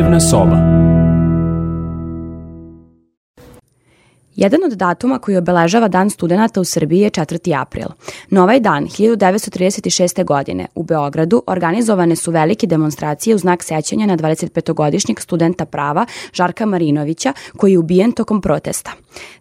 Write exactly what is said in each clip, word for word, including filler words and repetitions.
Dnevna soba. Jedan od datuma koji obeležava Dan studenata u Srbiji je četvrti april. Na ovaj dan, hiljadu devetsto trideset šeste. godine, u Beogradu organizovane su velike demonstracije u znak sećanja na dvadesetpetogodišnjeg studenta prava Žarka Marinovića, koji je ubijen tokom protesta.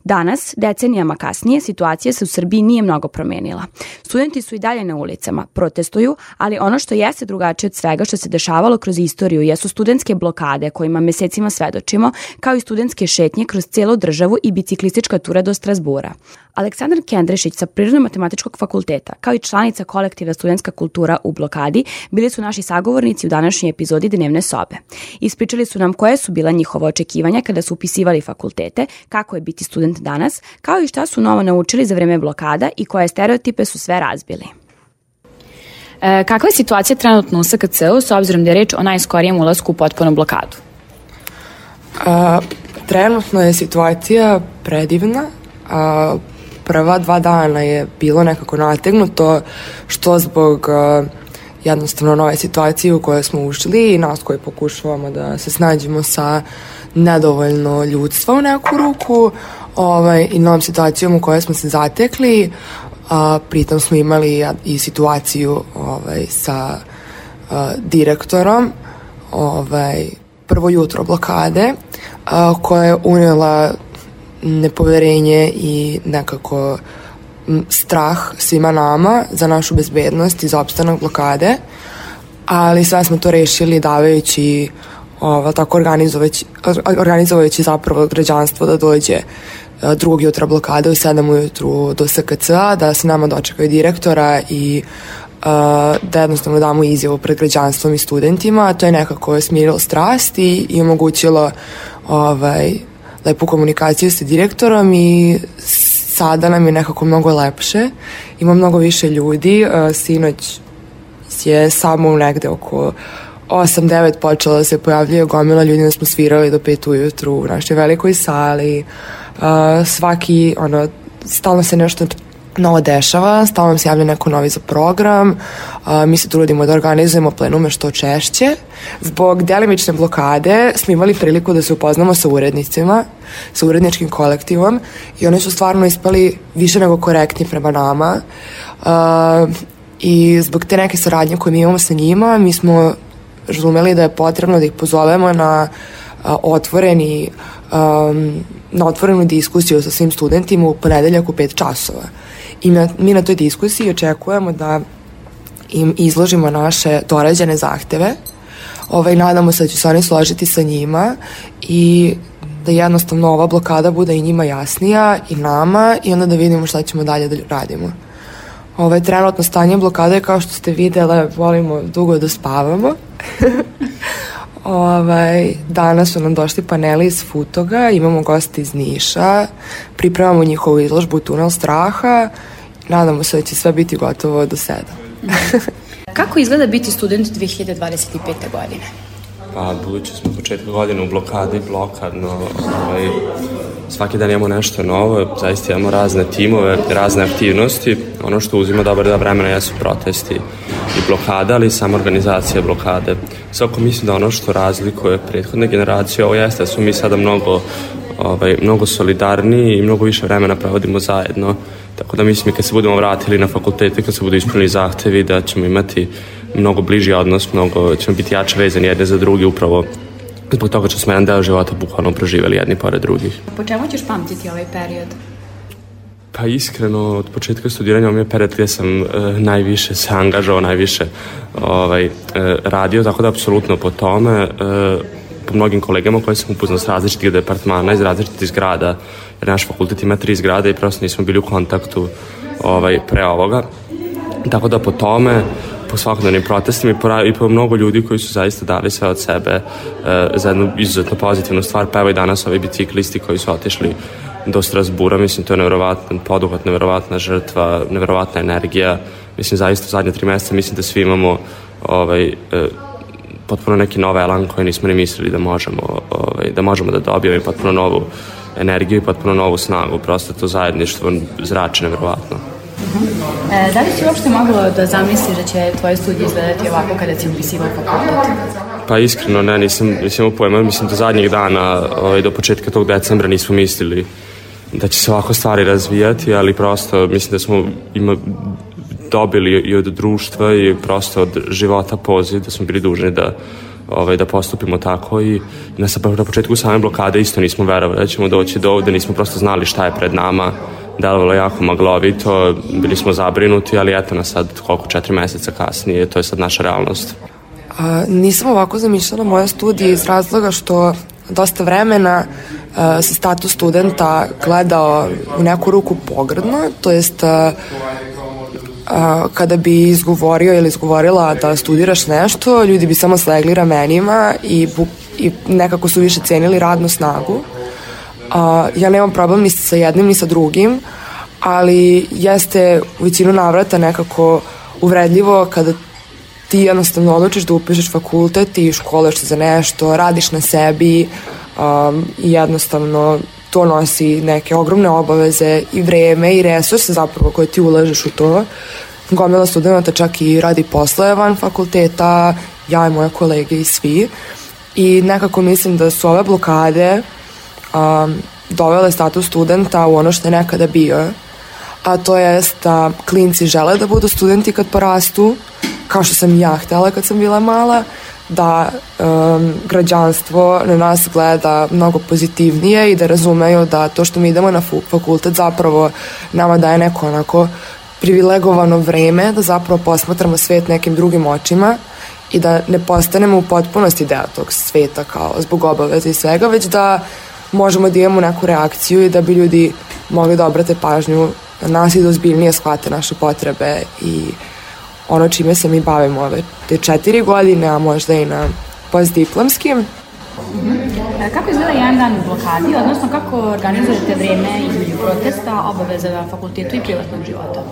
Danas, decenijama kasnije, situacija se u Srbiji nije mnogo promenila. Studenti su i dalje na ulicama, protestuju, ali ono što jeste drugačije od svega što se dešavalo kroz istoriju jesu studentske blokade kojima mesecima svedočimo, kao i studentske šetnje kroz celu državu i biciklistička tura do Strazbura. Aleksandar Kendrešić sa Prirodno-matematičkog fakulteta, kao i članica kolektiva Studentska kultura u blokadi, bili su naši sagovornici u današnjoj epizodi Dnevne sobe. Ispričali su nam koje su bila njihova očekivanja kada su upisivali fakultete, kako je biti student danas, kao i šta su novo naučili za vreme blokada i koje stereotipe su sve razbili. E, kakva je situacija trenutno u S K C-u s obzirom da je reč o najskorijem ulasku u potpunu blokadu? A, trenutno je situacija predivna. A, prva dva dana je bilo nekako nategnuto, što zbog a, jednostavno nove situacije u kojoj smo ušli i nas koji pokušavamo da se snađemo sa nedovoljno ljudstva u neku ruku, ovaj, i novom situacijom u kojoj smo se zatekli. A, pritom smo imali i situaciju ovaj, sa a, direktorom, ovaj, prvo jutro blokade, a, koja je unijela nepoverenje i nekako strah svima nama za našu bezbednost i za opstanak blokade, ali sve smo to rešili davajući ovo, tako organizovajući, organizovajući zapravo građanstvo da dođe drugog jutra blokade u sedam ujutru do S K C-a, da se nama dočekaju direktora i uh, da jednostavno damo izjavu pred građanstvom i studentima. To je nekako smirilo strast i, i omogućilo ovaj, lepu komunikaciju sa direktorom i sada nam je nekako mnogo lepše. Ima mnogo više ljudi. Uh, sinoć je samo negde oko osam devet počela da se pojavljuje gomila ljudi, da smo svirali do pet ujutru u našoj velikoj sali. Uh, svaki, ono, stalno se nešto novo dešava, stalno se javlja neko novi za program. Uh, mi se trudimo da organizujemo plenume što češće. Zbog delimične blokade smo imali priliku da se upoznamo sa urednicima, sa uredničkim kolektivom i oni su stvarno ispali više nego korektni prema nama. Uh, I zbog te neke saradnje koje mi imamo sa njima, mi smo razumeli da je potrebno da ih pozovemo na uh, otvoreni um, na otvorenu diskusiju sa svim studentima u ponedeljak u pet časova. I na, mi na toj diskusiji očekujemo da im izložimo naše dorađene zahteve. Ovaj, nadamo se da će se oni složiti sa njima i da jednostavno ova blokada bude i njima jasnija i nama i onda da vidimo šta ćemo dalje da radimo. Ovaj, trenutno stanje blokade je, kao što ste videle, volimo dugo da spavamo. Ovaj, danas su nam došli paneli iz Futoga, imamo goste iz Niša, pripremamo njihovu izložbu Tunel straha, nadamo se da će sve biti gotovo do sedam. Kako izgleda biti student dve hiljade dvadeset pete. godine? Pa, budući smo početka godine u blokadi, blokadno, ovaj, svaki dan imamo nešto novo, zaista imamo razne timove, razne aktivnosti. Ono što uzima dobar da vremena jesu protesti i blokada, ali i sama organizacija blokade. Svako mislim da ono što razlikuje prethodne generacije, ovo jeste da su mi sada mnogo, ovaj, mnogo solidarniji i mnogo više vremena provodimo zajedno. Tako da mislim i kad se budemo vratili na fakultete, kad se budu ispunili zahtevi, da ćemo imati mnogo bliži odnos, mnogo ćemo biti jače vezani jedne za drugi, upravo zbog toga što smo jedan deo života bukvalno proživeli jedni pored drugih. Po čemu ćeš pamtiti ovaj period? Pa iskreno, od početka studiranja ovo mi je period gdje sam e, najviše se angažao, najviše ovaj, e, radio, tako da apsolutno po tome, e, po mnogim kolegama koje sam upoznao s različitih departmana, iz različitih zgrada, jer naš fakultet ima tri zgrade i prosto nismo bili u kontaktu ovaj, pre ovoga. Tako da po tome, po svakodnevnim protestima i po, i po mnogo ljudi koji su zaista dali sve od sebe e, za jednu izuzetno pozitivnu stvar, pa evo i danas ovi biciklisti koji su otišli do Strazbura, mislim to je nevjerovatan poduhvat, nevjerovatna žrtva, nevjerovatna energija, mislim zaista u zadnje tri mjeseca mislim da svi imamo ovaj, e, potpuno neki nov elan koji nismo ni mislili da možemo, ovaj, da možemo da dobijemo i potpuno novu energiju i potpuno novu snagu, prosto to zajedništvo zrači nevjerovatno. Uh-huh. E, da li si uopšte moglo da zamisliš da će tvoje studije izgledati ovako kada si upisivao fakultet? Pa iskreno ne, nisam, nisam imao pojma, mislim do zadnjih dana, ovaj, do početka tog decembra nismo mislili da će se ovako stvari razvijati, ali prosto mislim da smo ima, dobili i od društva i prosto od života poziv da smo bili dužni da Ovaj, da postupimo tako i na, na početku same blokade isto nismo verovali da ćemo doći do ovde, nismo prosto znali šta je pred nama, delovalo jako maglovito, bili smo zabrinuti, ali eto nas sad koliko četiri meseca kasnije, to je sad naša realnost. A, nisam ovako zamišljala moje studije iz razloga što dosta vremena a, se status studenta gledao u neku ruku pogrdno, to jest a, a, kada bi izgovorio ili izgovorila da studiraš nešto, ljudi bi samo slegli ramenima i, i nekako su više cenili radnu snagu. A, ja nemam problem ni sa jednim ni sa drugim, ali jeste u većinu navrata nekako uvredljivo kada ti jednostavno odlučiš da upišeš fakultet i školuješ se za nešto, radiš na sebi um, i jednostavno to nosi neke ogromne obaveze i vreme i resurse zapravo koje ti ulažeš u to. Gomila studenta čak i radi poslove van fakulteta, ja i moje kolege i svi. I nekako mislim da su ove blokade um, dovele status studenta u ono što je nekada bio, a to je da klinci žele da budu studenti kad porastu, kao što sam i ja htela kad sam bila mala, da um, građanstvo na nas gleda mnogo pozitivnije i da razumeju da to što mi idemo na fakultet zapravo nama daje neko onako privilegovano vreme da zapravo posmatramo svet nekim drugim očima i da ne postanemo u potpunosti deo tog sveta kao zbog obaveza i svega, već da možemo da imamo neku reakciju i da bi ljudi mogli da obrate pažnju na nas i da ozbiljnije shvate naše potrebe i ono čime se mi bavimo ove te četiri godine, a možda i na postdiplomskim. Mm-hmm. Kako izgleda jedan dan u blokadi, odnosno kako organizujete vreme između protesta, obaveza na fakultetu i privatnog života?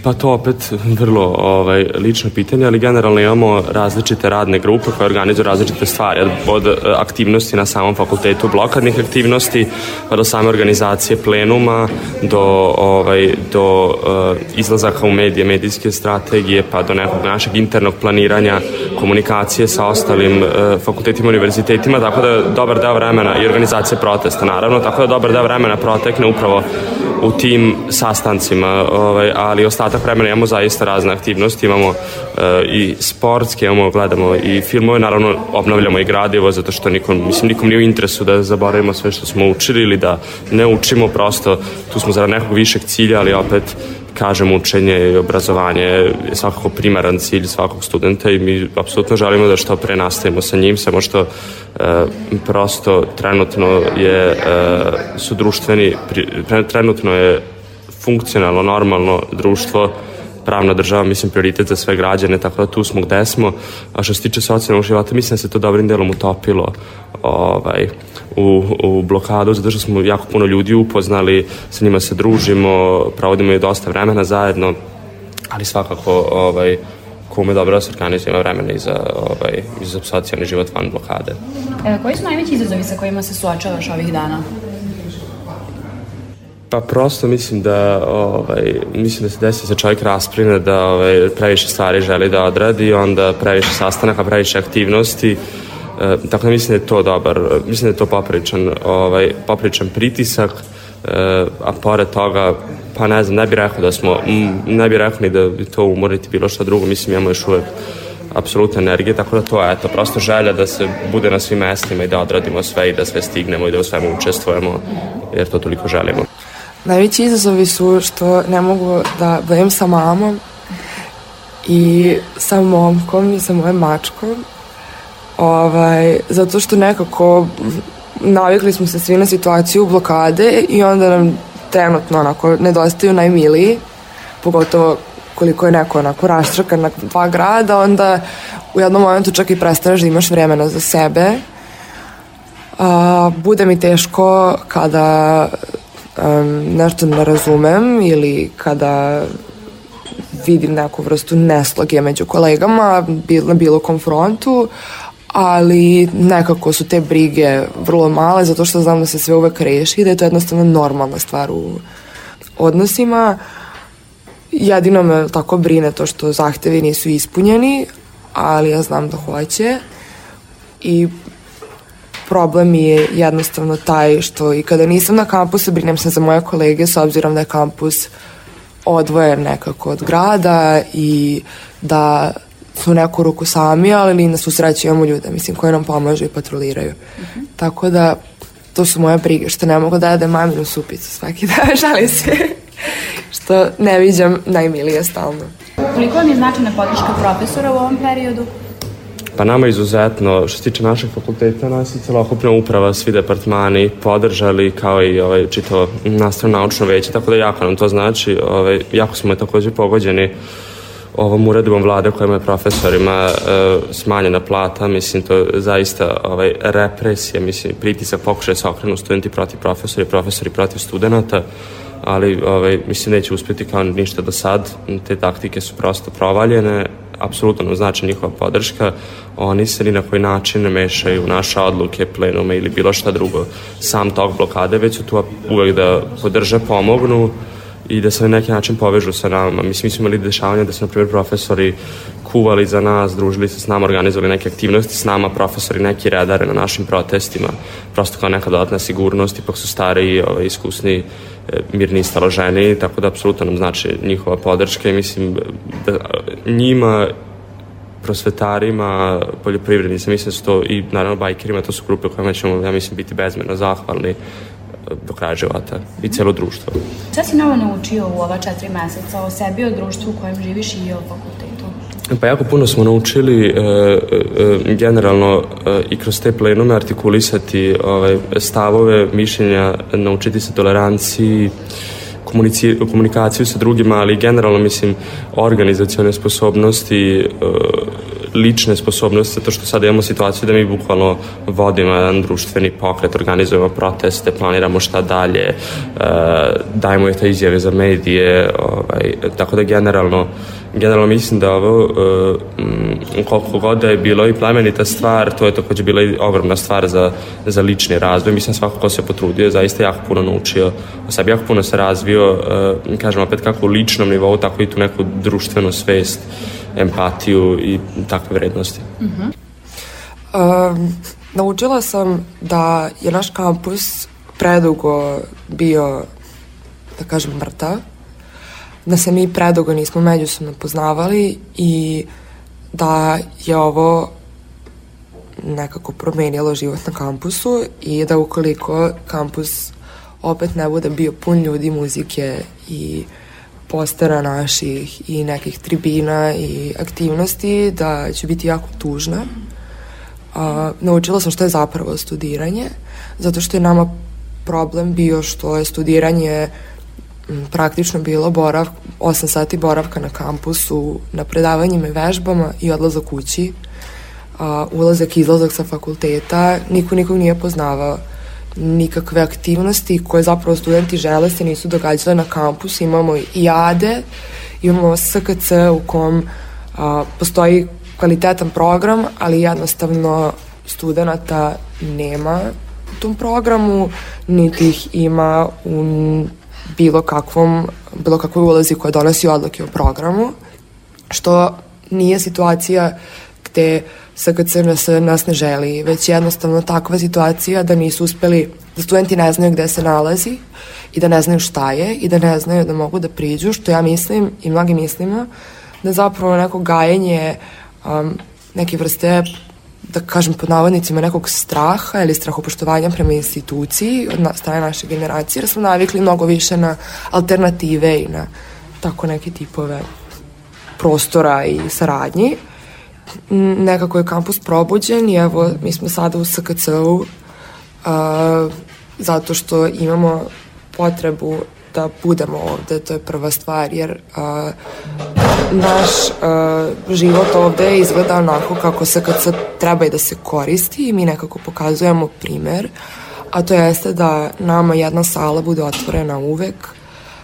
Pa to opet vrlo ovaj, lično pitanje, ali generalno imamo različite radne grupe koje organizuju različite stvari, od aktivnosti na samom fakultetu, blokadnih aktivnosti, pa do same organizacije plenuma, do, ovaj, do uh, izlazaka u medije, medijske strategije, pa do nekog našeg internog planiranja, komunikacije sa ostalim uh, fakultetima i univerzitetima, tako da dobar deo vremena i organizacije protesta naravno, tako da dobar deo vremena protekne upravo u tim sastancima, ovaj, ali ostatak vremena imamo zaista razne aktivnosti, imamo uh, i sportske, imamo, gledamo i filmove, naravno obnavljamo i gradivo, zato što nikom, mislim, nikom nije u interesu da zaboravimo sve što smo učili ili da ne učimo, prosto tu smo zarad nekog višeg cilja, ali opet kažem, učenje i obrazovanje je svakako primaran cilj svakog studenta i mi apsolutno želimo da što pre nastavimo sa njim, samo što e, prosto trenutno je, e, su društveni, trenutno je funkcionalno, normalno društvo, pravna država, mislim, prioritet za sve građane, tako da tu smo gde smo. A što se tiče socijalnog života, mislim da se to dobrim delom utopilo ovaj, u, u blokadu, zato što smo jako puno ljudi upoznali, sa njima se družimo, provodimo i dosta vremena zajedno, ali svakako ovaj, ko ume dobro da se organizuje, ima vremena i za, ovaj, i za socijalni život van blokade. E, koji su najveći izazovi sa kojima se suočavaš ovih dana? Pa prosto mislim da ovaj, mislim da se desi da se čovjek rasprine, da ovaj, previše stvari želi da odradi, onda previše sastanaka, previše aktivnosti, e, tako da mislim da je to dobar, mislim da je to popričan, ovaj, popričan pritisak, e, a pored toga, pa ne znam, ne bih rekao da smo, ne bih rekao ni da bi to umoriti bilo što drugo, mislim imamo još uvek apsolutne energije, tako da to je eto, prosto želja da se bude na svim mestima i da odradimo sve i da sve stignemo i da u svemu učestvujemo, jer to toliko želimo. Najveći izazovi su što ne mogu da budem sa mamom i sa momkom i sa mojom mačkom, ovaj, zato što nekako navikli smo se svi na situaciju blokade i onda nam trenutno onako nedostaju najmiliji, pogotovo koliko je neko onako raštrkan na dva grada, onda u jednom momentu čak i prestaneš da imaš vremena za sebe. A, bude mi teško kada um, nešto ne razumem ili kada vidim neku vrstu nesloge među kolegama na bilo konfrontu, ali nekako su te brige vrlo male zato što znam da se sve uvek reši i da je to jednostavno normalna stvar u odnosima. Jedino me tako brine to što zahtevi nisu ispunjeni, ali ja znam da hoće i problem mi je jednostavno taj što i kada nisam na kampusu brinem se za moje kolege s obzirom da je kampus odvojen nekako od grada i da su neku ruku sami, ali na svu sreću imamo ljude, mislim, koji nam pomažu i patroliraju. Uh-huh. Tako da, to su moje brige, što ne mogu da jedem maminu supicu svaki dan, žalim se, što ne viđam najmilije stalno. Koliko vam je značajna podrška profesora u ovom periodu? Pa nama izuzetno, što se tiče našeg fakulteta, nas i celokupna uprava, svi departmani podržali, kao i ovaj, čito nastavno naučno veće, tako da jako nam to znači. Ovaj, jako smo je takođe pogođeni ovom uredbom vlade kojima je profesorima e, smanjena plata, mislim, to je zaista ovaj, represija, mislim, pritisak, pokušaj se okrenu studenti protiv profesori, profesori protiv studenta, ali ovaj, mislim, neće uspjeti kao ništa do sad, te taktike su prosto provaljene, apsolutno nam znači njihova podrška, oni se ni na koji način ne mešaju u naše odluke, plenume ili bilo šta drugo, sam tok blokade, već su tu uvek da podrže, pomognu i da se na neki način povežu sa nama. Mislim, mi smo imali dešavanja da su, na primjer, profesori kuvali za nas, družili se s nama, organizovali neke aktivnosti s nama, profesori neki redare na našim protestima, prosto kao neka dodatna sigurnost, ipak su stariji, ovaj, iskusni, mirni, staloženi, tako da apsolutno nam znači njihova podrška i mislim da njima, prosvetarima, poljoprivrednicima, mislim da su to i naravno bajkerima, to su grupe kojima ćemo, ja mislim, biti bezmjerno zahvalni do kraja života i cijelo društvo. Šta si novo naučio u ova četiri meseca o sebi, o društvu u kojem živiš i o fakultetu? Pa jako puno smo naučili e, e, generalno e, i kroz te plenume artikulisati ovaj, stavove, mišljenja, naučiti se toleranciji, komunikaciju sa drugima, ali generalno, mislim, organizacione sposobnosti, e, lične sposobnosti, zato što sada imamo situaciju da mi bukvalno vodimo jedan društveni pokret, organizujemo proteste, planiramo šta dalje, dajemo je te izjave za medije, ovaj, tako da generalno generalno mislim da ovo koliko god da je bilo i plemenita stvar, to je takođe bila i ogromna stvar za, za lični razvoj. Mislim, svako ko se potrudio, zaista jako puno naučio o sebi, jako puno se razvio, kažem opet kako u ličnom nivou, tako i tu neku društvenu svest, empatiju i takve vrednosti. Uh-huh. Um, naučila sam da je naš kampus predugo bio, da kažem, mrtav, da se mi predugo nismo međusobno poznavali i da je ovo nekako promenilo život na kampusu i da ukoliko kampus opet ne bude bio pun ljudi, muzike i postera naših i nekih tribina i aktivnosti, da ću biti jako tužna. A, naučila sam što je zapravo studiranje, zato što je nama problem bio što je studiranje m, praktično bilo borav, osam sati boravka na kampusu, na predavanjima i vežbama i odlazak kući, a, ulazak i izlazak sa fakulteta, niko nikog nije poznavao. Nikakve aktivnosti koje zapravo studenti žele se nisu događale na kampusu. Imamo i A D E, imamo S K C u kom a, postoji kvalitetan program, ali jednostavno studenta nema u tom programu, niti ih ima u bilo kakvom, bilo kakvoj ulazi koja donosi odluke o programu, što nije situacija gde S K C nas, nas ne želi, već jednostavno takva situacija da nisu uspeli, da studenti ne znaju gde se nalazi i da ne znaju šta je i da ne znaju da mogu da priđu, što ja mislim i mnogi mislimo da zapravo neko gajenje um, neke vrste, da kažem pod navodnicima, nekog straha ili strahopoštovanja prema instituciji od na, strane naše generacije, jer smo navikli mnogo više na alternative i na tako neke tipove prostora i saradnji. Nekako je kampus probuđen i evo mi smo sada u S K C-u uh, zato što imamo potrebu da budemo ovde, to je prva stvar, jer uh, naš uh, život ovde izgleda onako kako S K C treba i da se koristi i mi nekako pokazujemo primer, a to jeste da nama jedna sala bude otvorena uvek,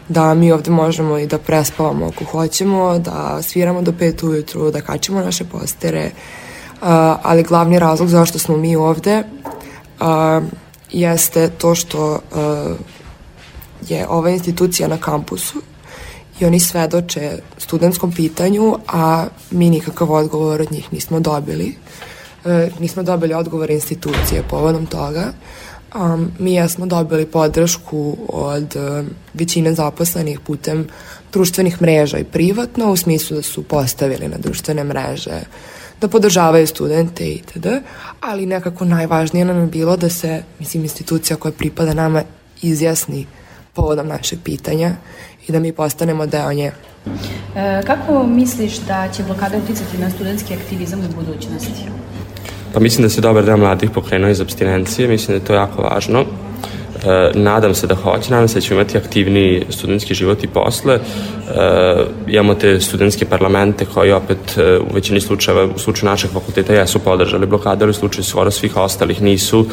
da mi ovde možemo i da prespavamo ako hoćemo, da sviramo do pet ujutru, da kačimo naše postere, uh, ali glavni razlog zašto smo mi ovde uh, jeste to što uh, je ova institucija na kampusu i oni svedoče studentskom pitanju, a mi nikakav odgovor od njih nismo dobili. E, nismo dobili odgovor institucije povodom toga. Um, mi jesmo dobili podršku od um, većine zaposlenih putem društvenih mreža i privatno, u smislu da su postavili na društvene mreže da podržavaju studente itd. Ali nekako najvažnije nam je bilo da se, mislim, institucija koja pripada nama izjasni povodom našeg pitanja i da mi postanemo deo nje. E, kako misliš da će blokada uticati na studentski aktivizam u budućnosti? Pa mislim da se dobar deo mladih pokrenuo iz apstinencije, mislim da je to jako važno. E, nadam se da hoće, nadam se da ćemo imati aktivniji studentski život i posle. E, imamo te studentske parlamente koji opet e, u većini slučajeva, u slučaju našeg fakulteta jesu podržali blokade, ali u slučaju skoro svih ostalih nisu.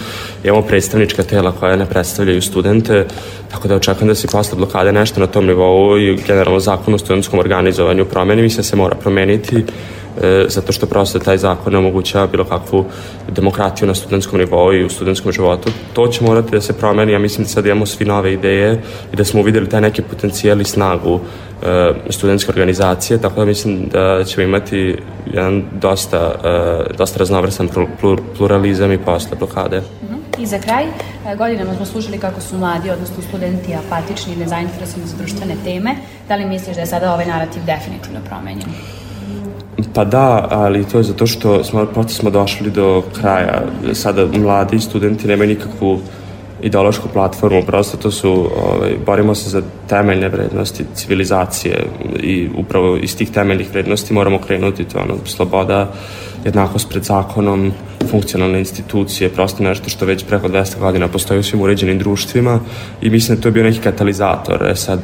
Imamo predstavnička tela koja ne predstavljaju studente, tako da očekujem da se posle blokade nešto na tom nivou i generalno zakon o studentskom organizovanju promeni, mislim da se mora promeniti. E, zato što prosto taj zakon ne omogućava bilo kakvu demokratiju na studentskom nivou i u studentskom životu. To će morati da se promeni, ja mislim da sad imamo svi nove ideje i da smo uvideli taj neki potencijal i snagu e, studentske organizacije, tako da mislim da ćemo imati jedan dosta, e, dosta raznovrsan pluralizam i posle blokade. I za kraj, godinama smo slušali kako su mladi, odnosno studenti, apatični i nezainteresovani za društvene teme. Da li misliš da je sada ovaj narativ definitivno promenjen? Pa da, ali to je zato što smo, prosto smo došli do kraja. Sada mladi studenti nemaju nikakvu ideološku platformu, prosto to su, ovaj, borimo se za temeljne vrednosti civilizacije i upravo iz tih temeljnih vrednosti moramo krenuti, to ono, sloboda, jednakost pred zakonom, funkcionalne institucije, prosto nešto što već preko dvesta godina postoji u svim uređenim društvima i mislim da to je bio neki katalizator. E sad,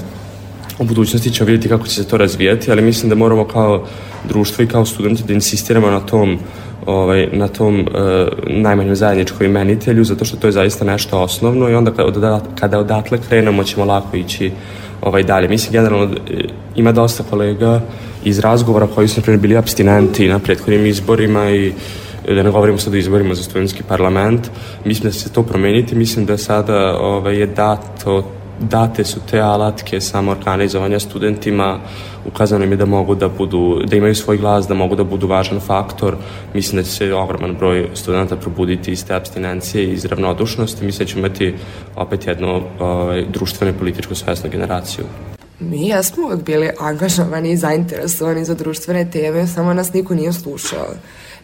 u budućnosti ćemo vidjeti kako će se to razvijati, ali mislim da moramo kao društvo i kao studenti da insistiramo na tom, ovaj, na tom uh, najmanjem zajedničkom imenitelju, zato što to je zaista nešto osnovno i onda kada, kada odatle krenemo ćemo lako ići ovaj, dalje. Mislim, generalno ima dosta kolega iz razgovora koji su, na primjer, bili apstinenti na prethodnim izborima i da ne govorimo sad o izborima za studentski parlament. Mislim da će se to promeniti, mislim da sada ovaj, je dato date su te alatke samoorganizovanja studentima, ukazano im je da mogu da budu, da imaju svoj glas, da mogu da budu važan faktor. Mislim da će se ogroman broj studenta probuditi iz te apstinencije i iz ravnodušnosti. Mislim da ćemo imati opet jednu ovaj, društvenu i političku svesnu generaciju. Mi jesmo uvek bili angažovani i zainteresovani za društvene teme, samo nas niko nije slušao.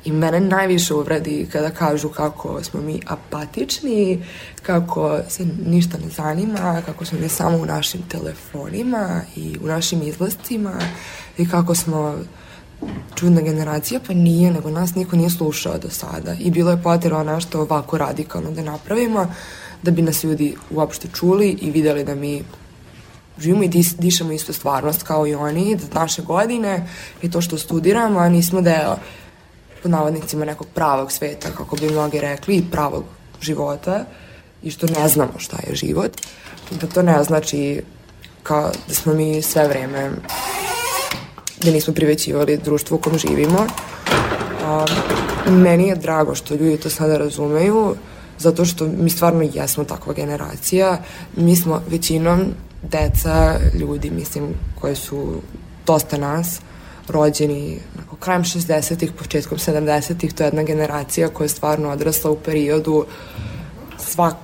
I mene najviše uvredi kada kažu kako smo mi apatični, kako se ništa ne zanima, kako smo mi samo u našim telefonima i u našim izlascima i kako smo čudna generacija, pa nije, nego nas niko nije slušao do sada. I bilo je potrebno nešto ovako radikalno da napravimo, da bi nas ljudi uopšte čuli i videli da mi živimo i dis, dišemo istu stvarnost kao i oni, da naše godine i to što studiramo, a nismo deo pod navodnicima nekog pravog sveta, kako bi mnogi rekli, i pravog života, i što ne znamo šta je život, da to ne znači kao da smo mi sve vreme, da nismo privećivali društvo u kom živimo. A, meni je drago što ljudi to sada razumeju, zato što mi stvarno jesmo takva generacija. Mi smo većinom deca ljudi, mislim, koji su dosta nas, rođeni nakon krajem šezdesetih, početkom sedamdesetih, to je jedna generacija koja je stvarno odrasla u periodu, svak,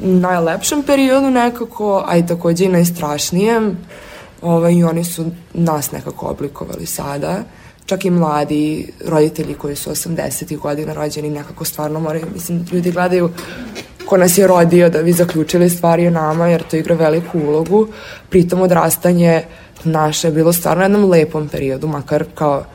najlepšem periodu nekako, a i takođe i najstrašnijem, ovaj, i oni su nas nekako oblikovali sada. Čak i mladi roditelji koji su osamdesetih godina rođeni nekako stvarno moraju, mislim, ljudi gledaju ko nas je rodio da bi zaključili stvari o nama, jer to igra veliku ulogu. Pritom odrastanje naše je bilo stvarno u jednom lepom periodu, makar kao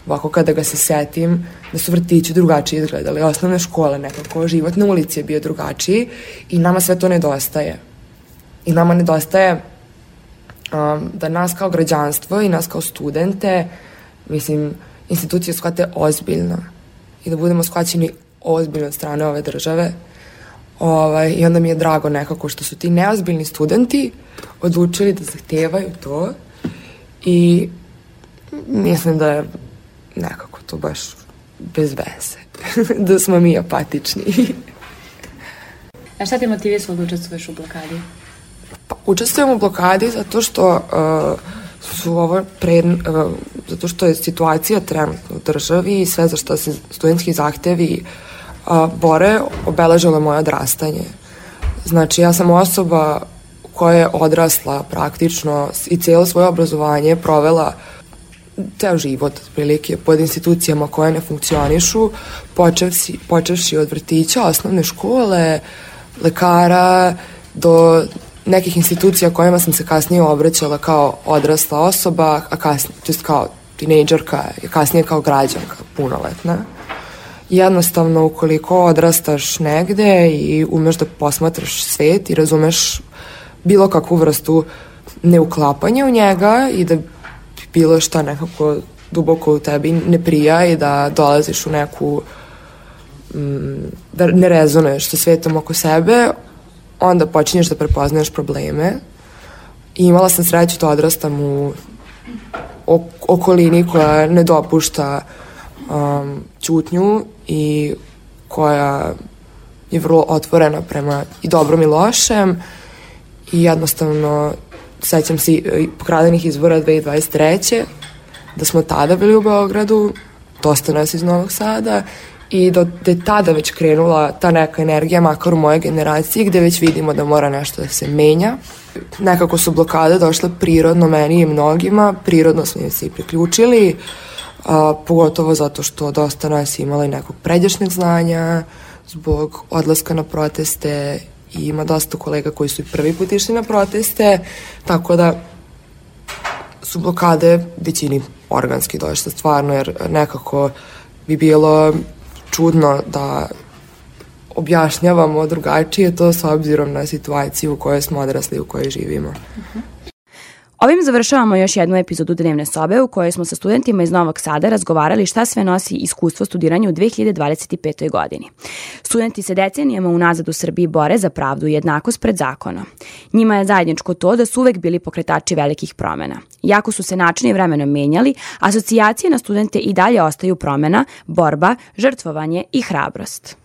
ovako kada ga se setim, da su vrtići drugačije izgledali, osnovne škole nekako, život na ulici je bio drugačiji i nama sve to nedostaje. I nama nedostaje um, da nas kao građanstvo i nas kao studente, mislim, institucije shvate ozbiljno i da budemo shvaćeni ozbiljno od strane ove države. Ovaj, I onda mi je drago nekako što su ti neozbiljni studenti odlučili da zahtevaju to i mislim da je nekako to baš bez veze, da smo mi apatični. A šta te motivisalo da učestvuješ u blokadi? Pa, učestvujem u blokadi zato što uh, su ovo pre, uh, zato što je situacija trenutno u državi i sve za što se studentski zahtevi uh, bore, obeležilo moje odrastanje. Znači, ja sam osoba koja je odrasla praktično i cijelo svoje obrazovanje provela ceo život, prilike, pod institucijama koje ne funkcionišu, počevši, počevši od vrtića, osnovne škole, lekara, do nekih institucija kojima sam se kasnije obraćala kao odrasla osoba, a kasnije, to jest kao tinejdžerka, kasnije kao građanka, punoletna. Jednostavno, ukoliko odrastaš negde i umeš da posmatraš svet i razumeš bilo kakvu vrstu neuklapanja u njega i da bilo šta nekako duboko u tebi ne prija i da dolaziš u neku mm, da ne rezonuješ sa svetom oko sebe, onda počinješ da prepoznaješ probleme. I imala sam sreću da odrastam u okolini koja ne dopušta um, ćutnju i koja je vrlo otvorena prema i dobrom i lošem i jednostavno sećam se pokradenih izbora dve hiljade dvadeset treće da smo tada bili u Beogradu, dosta nas iz Novog Sada i da je tada već krenula ta neka energija, makar u moje generaciji, gde već vidimo da mora nešto da se menja. Nekako su blokade došle prirodno meni i mnogima, prirodno smo im se i priključili, a, pogotovo zato što dosta nas imala i nekog pređašnjeg znanja, zbog odlaska na proteste i ima dosta kolega koji su i prvi put išli na proteste, tako da su blokade većini organski došle stvarno, jer nekako bi bilo čudno da objašnjavamo drugačije to s obzirom na situaciju u kojoj smo odrasli, u kojoj živimo. Uh-huh. Ovim završavamo još jednu epizodu Dnevne sobe u kojoj smo sa studentima iz Novog Sada razgovarali šta sve nosi iskustvo studiranja u dve hiljade dvadeset petoj. godini. Studenti se decenijama unazad u Srbiji bore za pravdu i jednakost pred zakonom. Njima je zajedničko to da su uvek bili pokretači velikih promena. Iako su se načini vremenom menjali, asocijacije na studente i dalje ostaju promena, borba, žrtvovanje i hrabrost.